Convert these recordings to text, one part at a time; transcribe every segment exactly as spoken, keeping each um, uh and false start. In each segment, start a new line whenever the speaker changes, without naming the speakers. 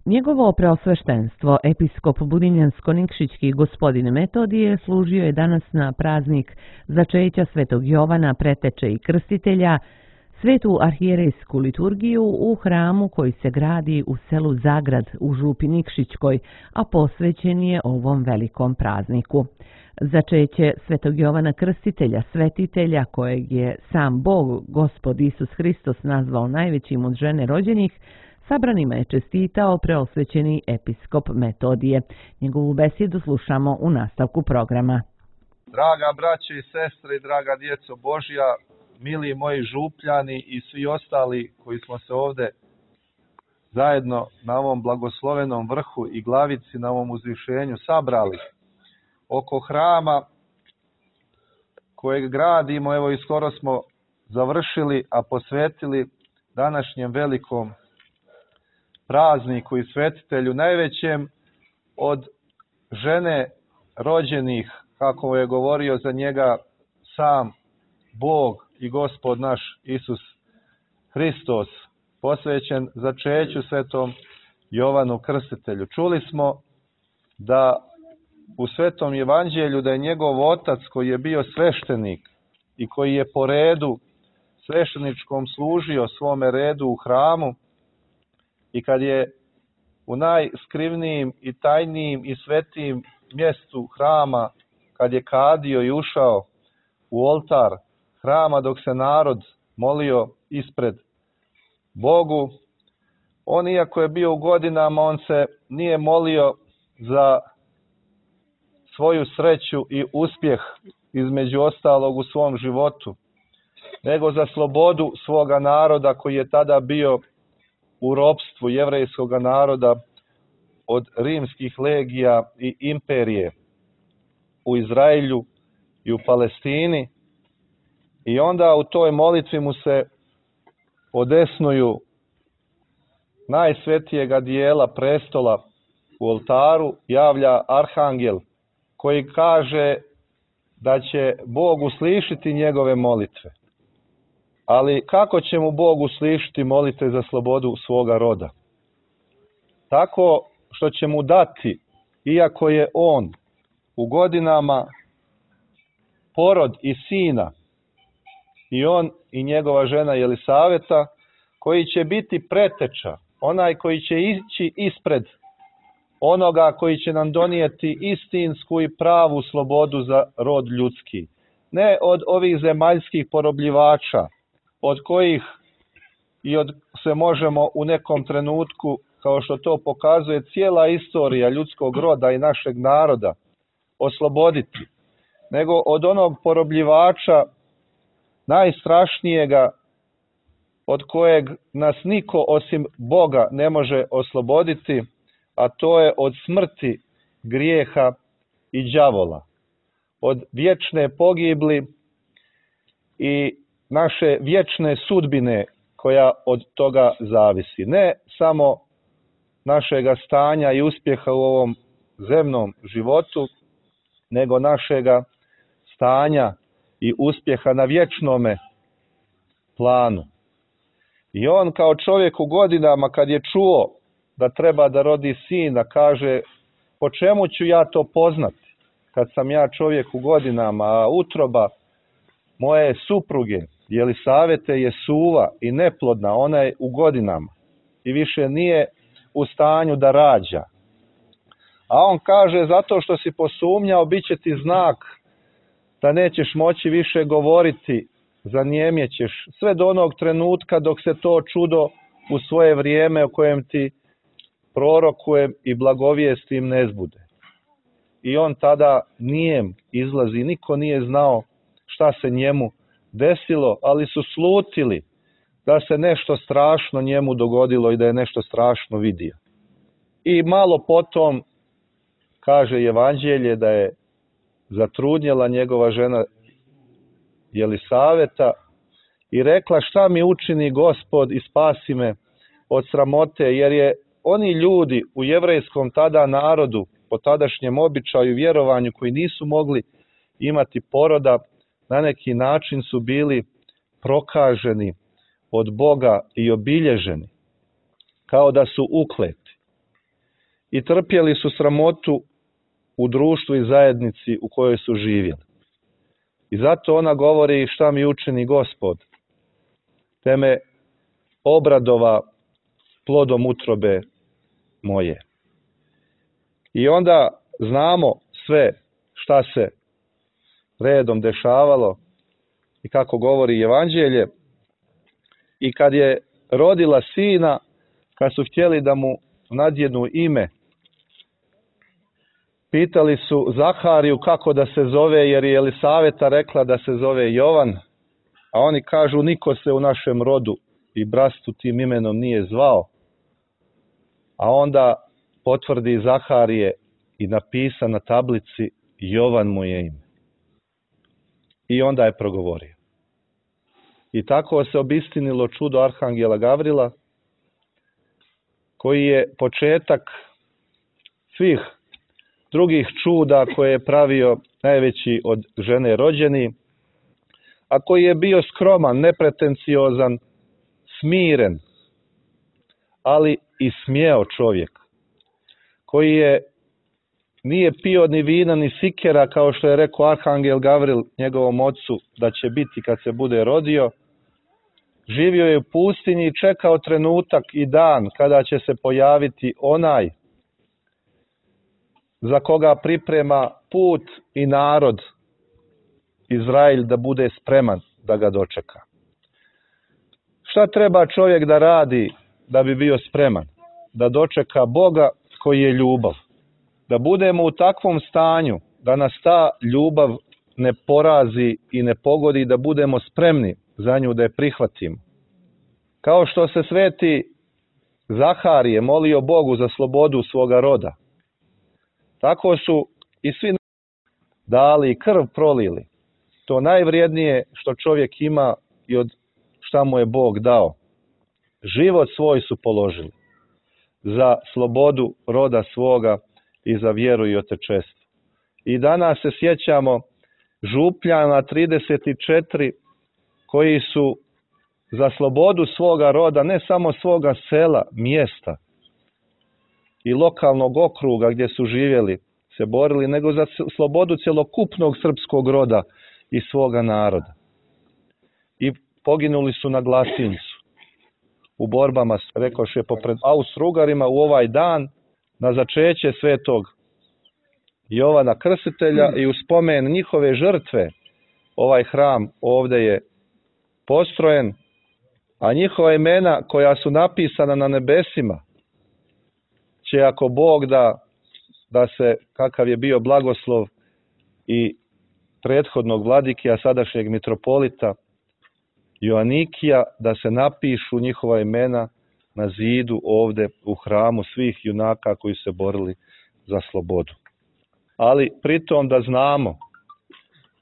Njegovo preosveštenstvo, episkop Budinjansko-Nikšićki gospodin Metodije, služio je danas na praznik začeća Svetog Jovana, preteče i krstitelja, svetu arhijerejsku liturgiju u hramu koji se gradi u selu Zagrad u župi Nikšićkoj, a posvećen je ovom velikom prazniku. Začeće Svetog Jovana Krstitelja, svetitelja kojeg je sam Bog, Gospod Isus Hristos, nazvao najvećim od žene rođenih, sabranima je čestitao preosvećeni episkop Metodije. Njegovu besedu slušamo u nastavku programa.
Draga braće i sestre i draga djeco Božja, mili moji župljani i svi ostali koji smo se ovdje zajedno na ovom blagoslovenom vrhu i glavici, na ovom uzvišenju sabrali oko hrama kojeg gradimo, evo i skoro smo završili, a posvetili današnjem velikom prazniku i svetitelju, najvećem od žene rođenih, kako je govorio za njega sam Bog i Gospod naš Isus Hristos, posvećen začeću Svetom Jovanu Krstitelju. Čuli smo da u Svetom Evanđelju da je njegov otac, koji je bio sveštenik i koji je po redu svešteničkom služio svome redu u hramu, i kad je u najskrivnijim i tajnijim i svetijim mjestu hrama, kad je kadio i ušao u oltar hrama dok se narod molio ispred Bogu, on, iako je bio u godinama, on se nije molio za svoju sreću i uspjeh, između ostalog, u svom životu, nego za slobodu svoga naroda koji je tada bio u ropstvu jevrejskog naroda od rimskih legija i imperije u Izraelju i u Palestini. I onda u toj molitvi mu se odesnuju najsvetijega dijela prestola u oltaru javlja arhangel koji kaže da će Bog uslišiti njegove molitve. Ali kako će mu Bog uslišiti molitve za slobodu svoga roda? Tako što će mu dati, iako je on u godinama porod i sina, i on i njegova žena Jelisaveta, koji će biti preteča, onaj koji će ići ispred onoga koji će nam donijeti istinsku i pravu slobodu za rod ljudski. Ne od ovih zemaljskih porobljivača, od kojih i od se možemo u nekom trenutku, kao što to pokazuje cijela istorija ljudskog roda i našeg naroda, osloboditi, nego od onog porobljivača najstrašnijega, od kojeg nas niko osim Boga ne može osloboditi, a to je od smrti, grijeha i đavola, od vječne pogibli i naše vječne sudbine koja od toga zavisi. Ne samo našega stanja i uspjeha u ovom zemnom životu, nego našega stanja i uspjeha na vječnome planu. I on kao čovjek u godinama, kad je čuo da treba da rodi sina, kaže: po čemu ću ja to poznati kad sam ja čovjek u godinama, a utroba moje supruge Jelisavete je suva i neplodna, ona je u godinama i više nije u stanju da rađa. A on kaže: zato što si posumnjao, bit će ti znak da nećeš moći više govoriti, zanijemjećeš sve do onog trenutka dok se to čudo u svoje vrijeme o kojem ti prorokujem i blagovijestim ne zbude. I on tada nijem izlazi, niko nije znao šta se njemu desilo, ali su slutili da se nešto strašno njemu dogodilo i da je nešto strašno vidio. I malo potom kaže Evanđelje da je zatrudnjela njegova žena Jelisaveta i rekla: šta mi učini Gospod i spasi me od sramote, jer je oni ljudi u jevrejskom tada narodu, po tadašnjem običaju i vjerovanju, koji nisu mogli imati poroda, na neki način su bili prokaženi od Boga i obilježeni, kao da su ukleti. i trpjeli su sramotu u društvu i zajednici u kojoj su živjeli. I zato ona govori šta mi učini Gospod, te me obradova plodom utrobe moje. I onda znamo sve šta se redom dešavalo i kako govori Evanđelje. I kad je rodila sina, kad su htjeli da mu nadjednu ime, pitali su Zahariju kako da se zove, jer je Elisaveta rekla da se zove Jovan, a oni kažu niko se u našem rodu i bratstvu tim imenom nije zvao. A onda potvrdi Zaharije i napisa na tablici Jovan mu je ime. I onda je progovorio. I tako se obistinilo čudo Arhangela Gavrila, koji je početak svih drugih čuda koje je pravio najveći od žene rođeni, a koji je bio skroman, nepretenciozan, smiren, ali i smjeo čovjek, koji je nije pio ni vina ni sikera, kao što je rekao Arhangel Gavril njegovom ocu da će biti kad se bude rodio. Živio je u pustinji i čekao trenutak i dan kada će se pojaviti onaj za koga priprema put i narod Izrael da bude spreman da ga dočeka. Šta treba čovjek da radi da bi bio spreman? Da dočeka Boga koji je ljubav. Da budemo u takvom stanju da nas ta ljubav ne porazi i ne pogodi, da budemo spremni za nju, da je prihvatimo. Kao što se sveti Zaharije molio Bogu za slobodu svoga roda, tako su i svi dali i krv prolili. To najvrijednije što čovjek ima i od šta mu je Bog dao. Život svoj su položili za slobodu roda svoga i za vjeru i otečestvo. I danas se sjećamo Župljana trideset četiri koji su za slobodu svoga roda, ne samo svoga sela, mjesta i lokalnog okruga gdje su živjeli, se borili, nego za slobodu cjelokupnog srpskog roda i svoga naroda. I poginuli su na Glasincu u borbama, rekoše, popred Austrougarima u ovaj dan, na začeće svetog Jovana Krstitelja i u spomen njihove žrtve ovaj hram ovdje je postrojen, a njihova imena koja su napisana na nebesima će, ako Bog da, da se, kakav je bio blagoslov i prethodnog vladike, a sadašnjeg mitropolita Joanikija, da se napišu njihova imena na zidu ovdje u hramu svih junaka koji se borili za slobodu. Ali pritom da znamo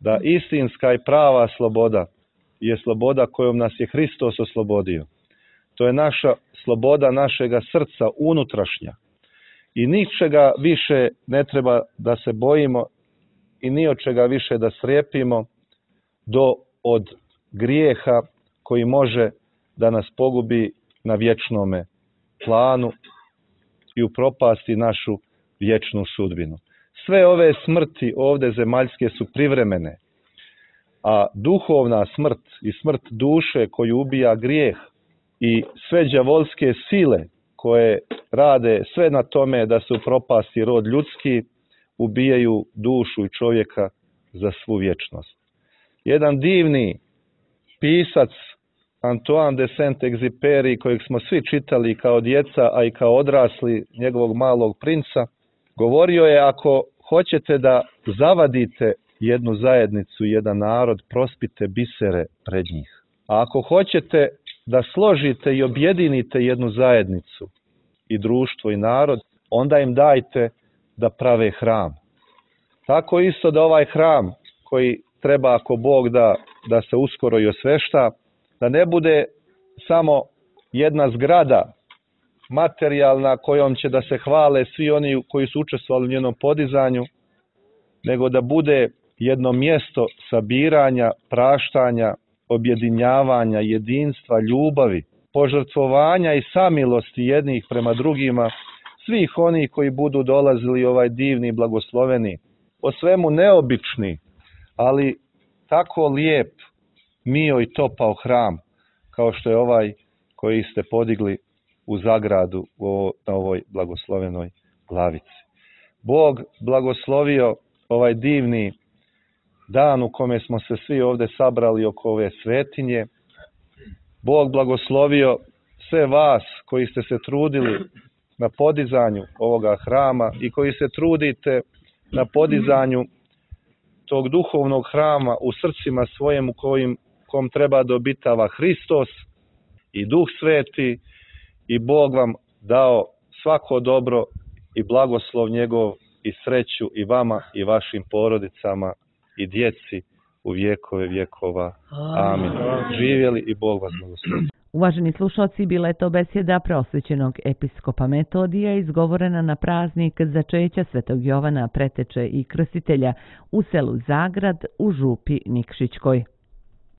da istinska i prava sloboda je sloboda kojom nas je Hristos oslobodio. To je naša sloboda našega srca, unutrašnja. I ničega više ne treba da se bojimo i ni od čega više da strepimo do od grijeha koji može da nas pogubi na vječnome planu i upropasti našu vječnu sudbinu. Sve ove smrti ovdje zemaljske su privremene, a duhovna smrt i smrt duše koju ubija grijeh i sve đavolske sile koje rade sve na tome da se upropasti rod ljudski, ubijaju dušu i čovjeka za svu vječnost. Jedan divni pisac, Antoine de Saint-Exupéry, kojeg smo svi čitali kao djeca, a i kao odrasli, njegovog malog princa, govorio je: ako hoćete da zavadite jednu zajednicu, jedan narod, prospite bisere pred njih. A ako hoćete da složite i objedinite jednu zajednicu i društvo i narod, onda im dajte da prave hram. Tako isto da ovaj hram koji treba, ako Bog da, da se uskoro i osvešta, da ne bude samo jedna zgrada materijalna kojom će da se hvale svi oni koji su učestvovali u njenom podizanju, nego da bude jedno mjesto sabiranja, praštanja, objedinjavanja, jedinstva, ljubavi, požrtvovanja i samilosti jednih prema drugima, svih onih koji budu dolazili ovaj divni, blagosloveni, po svemu neobični, ali tako lijep, mio i topao hram, kao što je ovaj koji ste podigli u zagradu na ovoj blagoslovenoj glavici. Bog blagoslovio ovaj divni dan u kome smo se svi ovde sabrali oko ove svetinje. Bog blagoslovio sve vas koji ste se trudili na podizanju ovoga hrama i koji se trudite na podizanju tog duhovnog hrama u srcima svojem u kojim, kom treba da obitava Hristos i Duh Sveti, i Bog vam dao svako dobro i blagoslov njegov i sreću i vama i vašim porodicama i djeci u vjekove vjekova. Amin. Živjeli i Bog vas blagoslovi.
Uvaženi slušalci, bila je to besjeda preosvećenog episkopa Metodija izgovorena na praznik začeća Svetog Jovana Preteče i Krstitelja u selu Zagrad u župi Nikšićkoj.